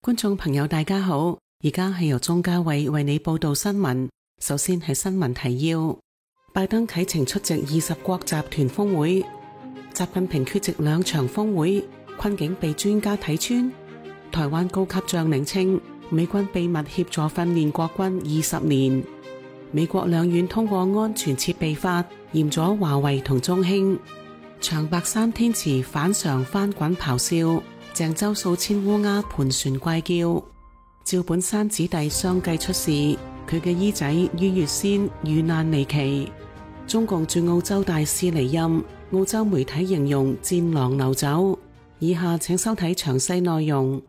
觀眾朋友大家好，而家係由鍾嘉慧為你報道新聞。首先係新聞提要：拜登啟程出席20國集團峰會，習近平缺席2場峰會，困境被專家睇穿。台灣高級將領稱，美軍秘密協助訓練國軍20年。美國兩院通過安全設備法，嚴咗華為同中興。長白山天池反常翻滾咆哮，鄭州數千烏鴉盤旋怪叫。趙本山子弟相繼出事，佢嘅姨仔于月仙遇難離奇。中共駐澳洲大使離任，澳洲媒體形容戰狼流走。以下請收睇詳細內容。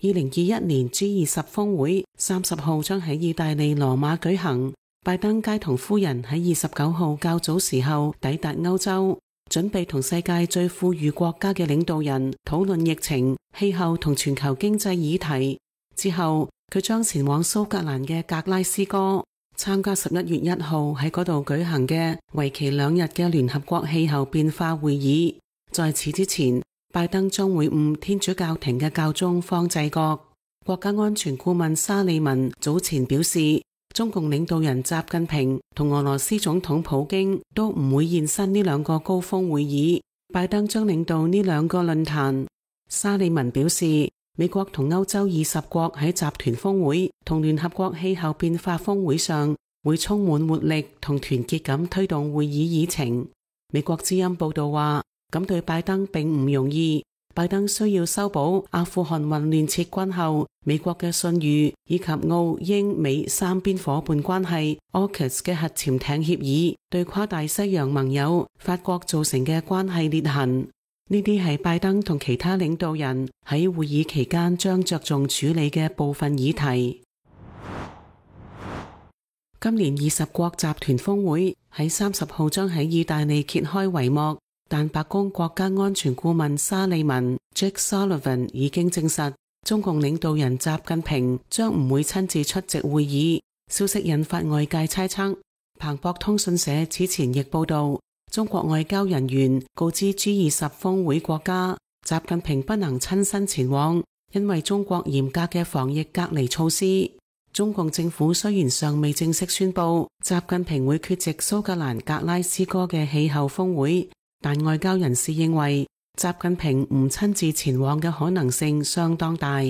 2021年 G20 峰會30號將喺意大利羅馬舉行，拜登偕同夫人喺29號較早時候抵達歐洲，準備同世界最富裕國家嘅領導人討論疫情、氣候同全球經濟議題。之後，佢將前往蘇格蘭嘅格拉斯哥，參加11月1號喺嗰度舉行嘅為期2日嘅聯合國氣候變化會議。在此之前，拜登將會晤天主教廷嘅教宗方濟各。國家安全顧問沙利文早前表示，中共領導人習近平同俄羅斯總統普京都唔會現身呢2個高峰會議，拜登將領導呢2個論壇。沙利文表示，美國同歐洲20國喺集團峰會同聯合國氣候變化峰會上會充滿活力同團結咁推動會議議程。美國之音報道話，咁對拜登並唔容易。拜登需要修補阿富汗混亂撤軍後美國嘅信譽，以及澳英美3邊夥伴關係 AUKUS 嘅核潛艇協議對跨大西洋盟友法國造成嘅關係裂痕。呢啲係拜登同其他領導人喺會議期間將着重處理嘅部分議題。今年20國集團峰會喺30號將喺意大利揭開帷幕。但白宮國家安全顧問沙利文 Jake Sullivan 已經證實，中共領導人習近平將唔會親自出席會議。消息引發外界猜測。彭博通訊社此前亦報道，中國外交人員告知 G20 峰會國家，習近平不能親身前往，因為中國嚴格嘅防疫隔離措施。中共政府雖然尚未正式宣布習近平會缺席蘇格蘭格拉斯哥嘅氣候峰會，但外交人士認為，習近平唔親自前往嘅可能性相當大。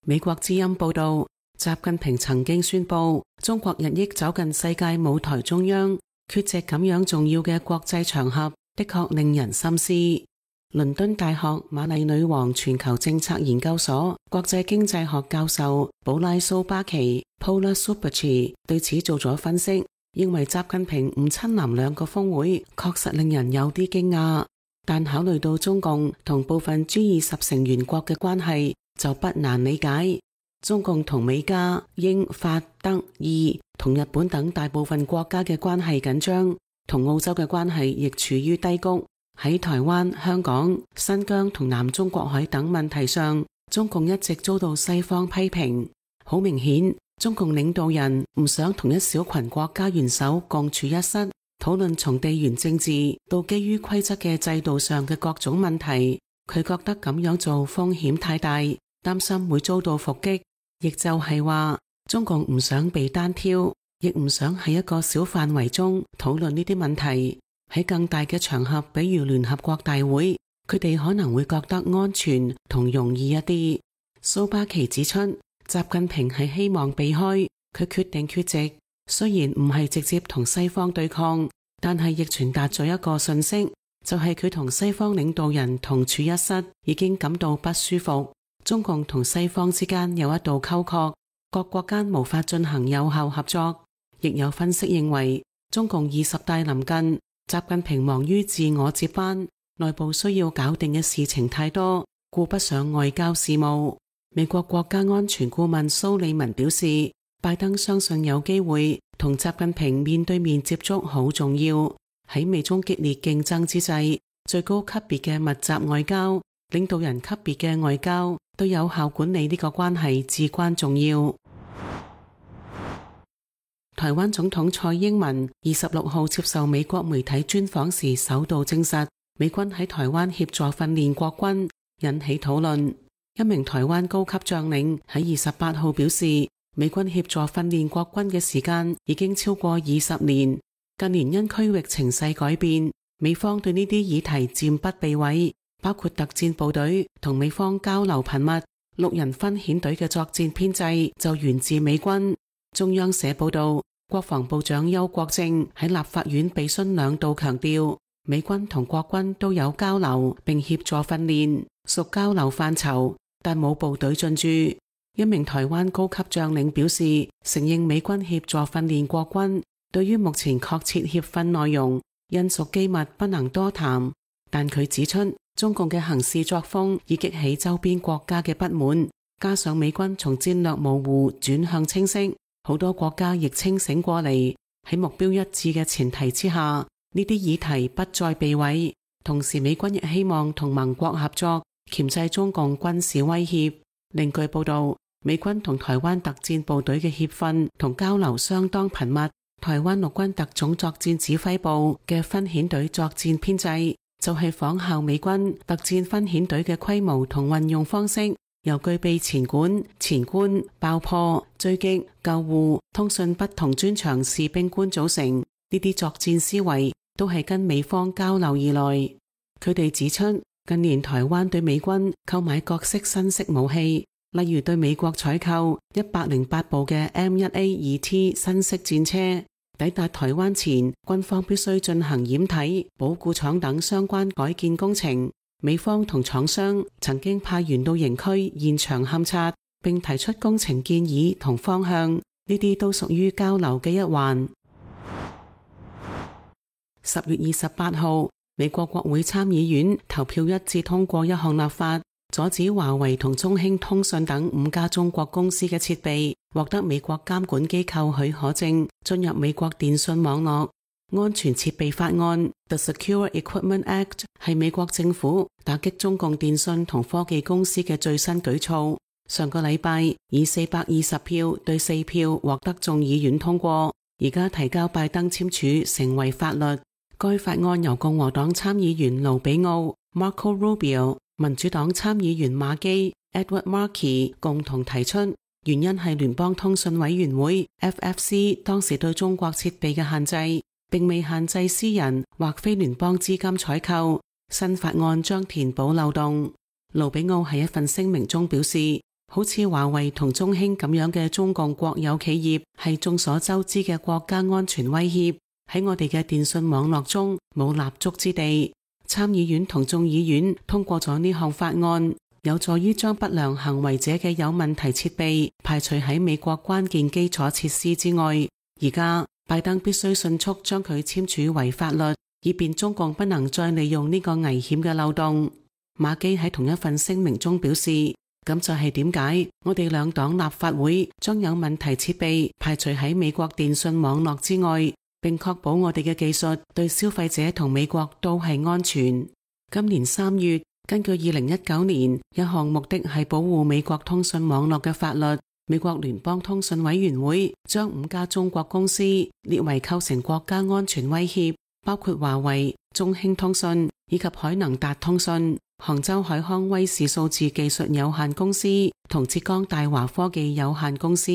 美國之音報道，習近平曾經宣布，中國日益走近世界舞台中央，缺席咁樣重要嘅國際場合，的確令人深思。倫敦大學瑪麗女王全球政策研究所國際經濟學教授保拉蘇巴奇 Paula Subachi 對此做咗分析，認為習近平唔親臨2個峰會確實令人有啲驚訝，但考慮到中共同部分 G20 成員國嘅關係，就不難理解。中共同美加、英、法、德、意同日本等大部分國家嘅關係緊張，同澳洲嘅關係亦處於低谷。喺台灣、香港、新疆同南中國海等問題上，中共一直遭到西方批評。好明顯，中共領導人唔想同一小群國家元首共處一室，討論從地緣政治到基於規則嘅制度上嘅各種問題。佢覺得咁樣做風險太大，擔心會遭到伏擊。亦就係話，中共唔想被單挑，亦唔想喺一個小範圍中討論呢啲問題。喺更大嘅場合，比如聯合國大會，佢哋可能會覺得安全同容易一啲。蘇巴奇指出，習近平係希望避開，佢決定缺席，雖然唔係直接同西方對抗，但係亦傳達咗一個訊息，就係佢同西方領導人同處一室已經感到不舒服。中共同西方之間有一道溝壑，各國間無法進行有效合作。亦有分析認為，中共20大臨近，習近平忙於自我接班，內部需要搞定嘅事情太多，顧不上外交事務。美國國家安全顧問蘇利文表示，拜登相信有機會同習近平面對面接觸好重要。喺美中激烈競爭之際，最高級別嘅密集外交、領導人級別嘅外交對有效管理呢個關係至關重要。台灣總統蔡英文26號接受美國媒體專訪時首度證實，美軍喺台灣協助訓練國軍，引起討論。一名台灣高級將領喺28號表示，美軍協助訓練國軍嘅時間已經超過20年。近年因區域情勢改變，美方對呢啲議題漸不避諱，包括特戰部隊同美方交流頻密。6人分遣隊嘅作戰編制就源自美軍。中央社報道，國防部長邱國正喺立法院備詢2度強調，美軍同國軍都有交流並協助訓練，屬交流範疇，但冇部隊進駐。一名台灣高級將領表示，承認美軍協助訓練國軍，對於目前確切協訓內容，因屬機密不能多談。但佢指出，中共嘅行事作風已激起周邊國家嘅不滿，加上美軍從戰略模糊轉向清晰，好多國家亦清醒過嚟，喺目標一致嘅前提之下，呢啲議題不再避諱。同時，美軍亦希望同盟國合作，鉗制中共軍事威脅。另據報道，美軍同台灣特戰部隊嘅協訓同交流相當頻密。台灣陸軍特種作戰指揮部嘅分遣隊作戰編制就係仿效美軍特戰分遣隊嘅規模同運用方式，由具備前管、前觀、爆破、追擊、救護、通訊不同專長士兵官組成。呢啲作戰思維都係跟美方交流而來。佢哋指出，近年台灣對美軍購買各式新式武器，例如對美國採購108部嘅 M1A2T 新式戰車，抵達台灣前，軍方必須進行掩體、保固廠等相關改建工程。美方同廠商曾經派員到營區現場勘察，並提出工程建議同方向，呢啲都屬於交流嘅一環。10月28號，美國國會參議院投票一致通過一項立法，阻止華為同中興通訊等5家中國公司嘅設備獲得美國監管機構許可證進入美國電信網絡。安全設備法案 The Secure Equipment Act 係美國政府打擊中共電信同科技公司嘅最新舉措。上個禮拜以420票對4票獲得眾議院通過，而家提交拜登簽署成為法律。該法案由共和黨參議員盧比奧 Marco Rubio、民主黨參議員馬基 Edward Markey 共同提出，原因係聯邦通訊委員會 FFC 當時對中國設備嘅限制，並未限制私人或非聯邦資金採購。新法案將填補漏洞。盧比奧喺一份聲明中表示，好似華為同中興咁樣嘅中共國有企業係眾所周知嘅國家安全威脅，喺我哋嘅電信網絡中冇立足之地。參議院同眾議院通過咗呢項法案，有助於將不良行為者嘅有問題設備排除喺美國關鍵基礎設施之外。而家拜登必須迅速將佢簽署為法律，以便中共不能再利用呢個危險嘅漏洞。馬基喺同一份聲明中表示，咁就係點解我哋兩黨立法會將有問題設備排除喺美國電信網絡之外，並確保我哋嘅技術對消費者同美國都係安全。今年3月，根據2019年一項目的係保護美國通訊網絡嘅法律，美國聯邦通訊委員會將5家中國公司列為構成國家安全威脅，包括華為、中興通訊以及海能達通訊、杭州海康威視數字技術有限公司同浙江大華科技有限公司。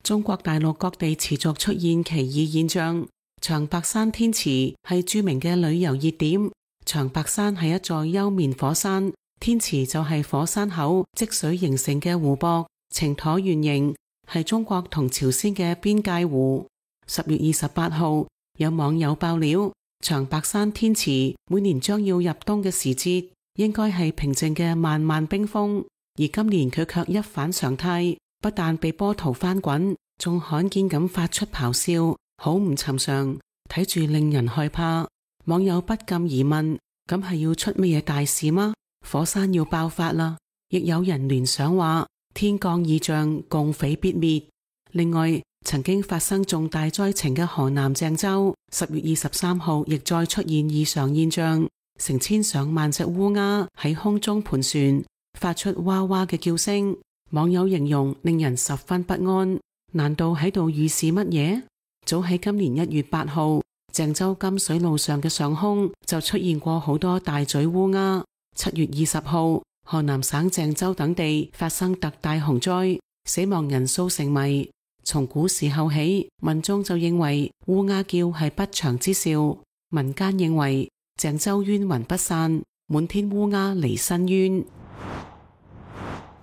中國大陸各地持續出現奇異現象。長白山天池係著名嘅旅遊熱點。長白山係一座休眠火山，天池就係火山口積水形成嘅湖泊，呈橢圓形，係中國同朝鮮嘅邊界湖。10月28號，有網友爆料，長白山天池每年將要入冬嘅時節，應該係平靜嘅漫漫冰封，而今年佢卻一反常態，不但被波濤翻滾，仲罕見咁發出咆哮，好唔尋常，睇住令人害怕。網友不禁疑問，咁係要出乜嘢大事嗎？火山要爆發啦！亦有人聯想話，天降異象，共匪必滅。另外，曾經發生重大災情嘅河南鄭州10月23號亦再出現異常現象，成千上萬隻烏鴉喺空中盤旋，發出哇哇嘅叫聲。網友形容令人十分不安，難道喺度預示乜嘢？早喺今年1月8號，鄭州金水路上嘅上空就出現過好多大嘴烏鴉， 7月20號，河南省鄭州等地發生特大洪災，死亡人數成謎。從古時候起，民眾就認為烏鴉叫係不祥之兆，民間認為鄭州冤魂不散，滿天烏鴉離申冤。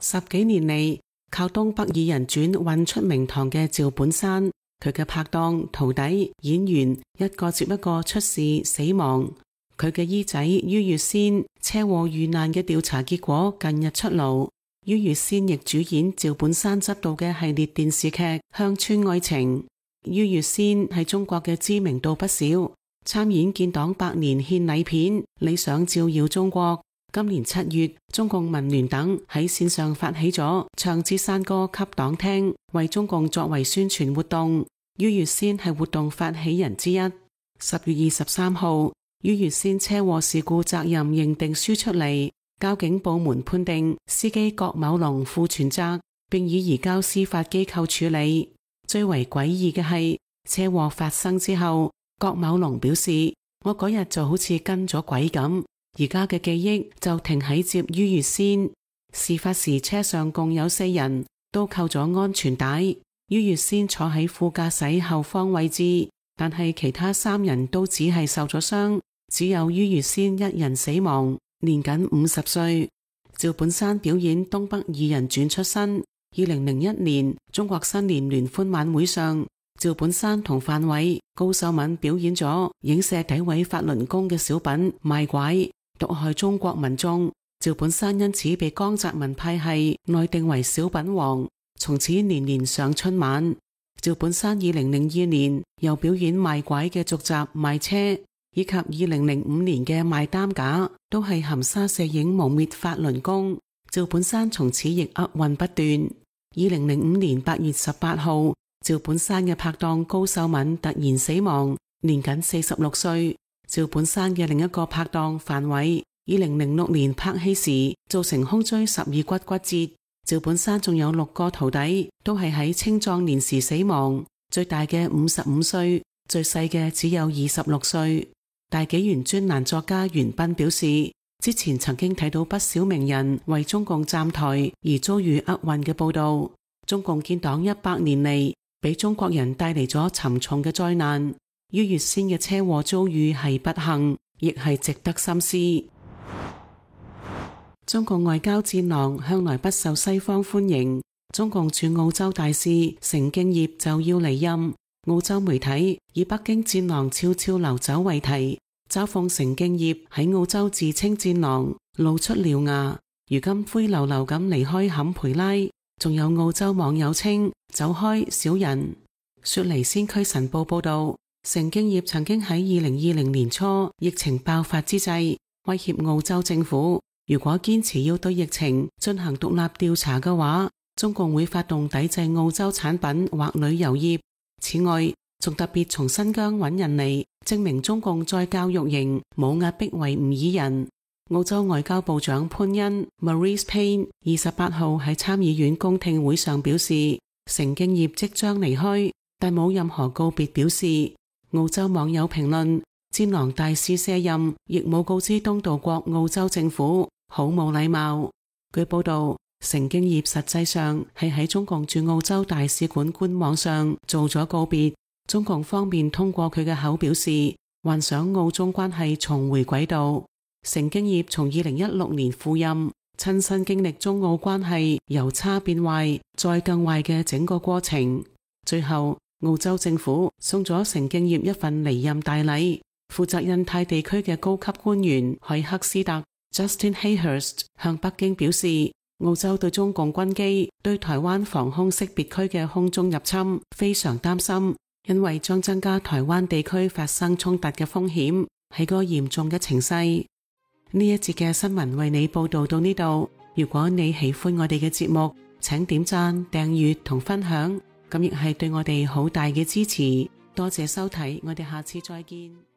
10幾年嚟，靠東北二人轉混出名堂嘅趙本山，佢嘅拍檔、徒弟、演員一個接一個出事死亡。佢嘅姨仔于月仙車禍遇難嘅調查結果近日出爐，于月仙亦主演趙本山執導嘅系列電視劇《鄉村愛情》。于月仙喺中國嘅知名度不少，參演建黨100年獻禮片《理想照耀中國》。今年7月，中共民聯等喺線上發起咗唱支山歌給黨聽，為中共作為宣傳活動。于月仙係活動發起人之一。10月23號，于月仙車禍事故責任認定書出嚟，交警部門判定司機郭某龍負全責，並已移交司法機構處理。最為詭異嘅係，車禍發生之後，郭某龍表示：我嗰日就好似跟咗鬼咁。而家嘅記憶就停喺接于月仙。事發時車上共有4人，都扣咗安全帶。于月仙坐喺副駕駛後方位置，但係其他3人都只係受咗傷，只有于月仙1人死亡，年僅50歲。趙本山表演東北二人轉出身。2001年中國新年聯歡晚會上，趙本山同范偉、高秀敏表演咗影射詆毀法輪功嘅小品賣拐，毒害中國民眾。趙本山因此被江澤民派系內定為小品王，從此年年上春晚。趙本山2002年又表演賣拐嘅續集賣車，以及2005年嘅賣擔架，都係含沙射影誣衊法輪功。趙本山從此亦厄運不斷。2005年8月18號，趙本山嘅拍檔高秀敏突然死亡，年僅46歲。趙本山嘅另一個拍檔范偉，2006年拍戲時造成胸椎12骨骨折。趙本山仲有6個徒弟，都係喺青壯年時死亡，最大嘅55歲，最細嘅只有26歲。大紀元專欄作家袁彬表示，之前曾經睇到不少名人為中共站台而遭遇厄運嘅報道。中共建黨100年嚟，俾中國人帶嚟咗沉重嘅災難。于月仙嘅車禍遭遇係不幸，亦係值得深思。中共外交戰狼向來不受西方歡迎，中共駐澳洲大使成敬業就要離任。澳洲媒體以北京戰狼悄悄流走為題，嘲諷成敬業喺澳洲自稱戰狼，露出獠牙，如今灰溜溜咁離開坎培拉。仲有澳洲網友稱走開小人。雪梨先驅晨報報道，成敬業曾經喺2020年初疫情爆發之際威脅澳洲政府，如果堅持要對疫情進行獨立調查嘅話，中共會發動抵制澳洲產品或旅遊業。此外，仲特別從新疆揾人嚟證明中共在教育營冇壓迫維吾爾人。澳洲外交部長潘恩 Marise Payne 28號喺參議院公聽會上表示，成敬業即將離開，但冇任何告別表示。澳洲網友評論，戰狼大使卸任亦冇告知東道國澳洲政府，好冇禮貌。據報道，成敬業實際上係喺中共駐澳洲大使館官網上做咗告別。中共方面通過佢嘅口表示，幻想澳中關係重回軌道。成敬業從2016年赴任，親身經歷中澳關係由差變壞再更壞嘅整個過程。最後，澳洲政府送咗成敬業一份離任大禮。負責印太地區嘅高級官員海克斯特 Justin Hayhurst 向北京表示，澳洲對中共軍機對台灣防空識別區嘅空中入侵非常擔心，因為將增加台灣地區發生衝突嘅風險，係個嚴重嘅情勢。呢一節嘅新聞為你報道到呢度。如果你喜歡我哋嘅節目，請點讚、訂閱同分享，咁亦係對我哋好大嘅支持。多謝收睇，我哋下次再見。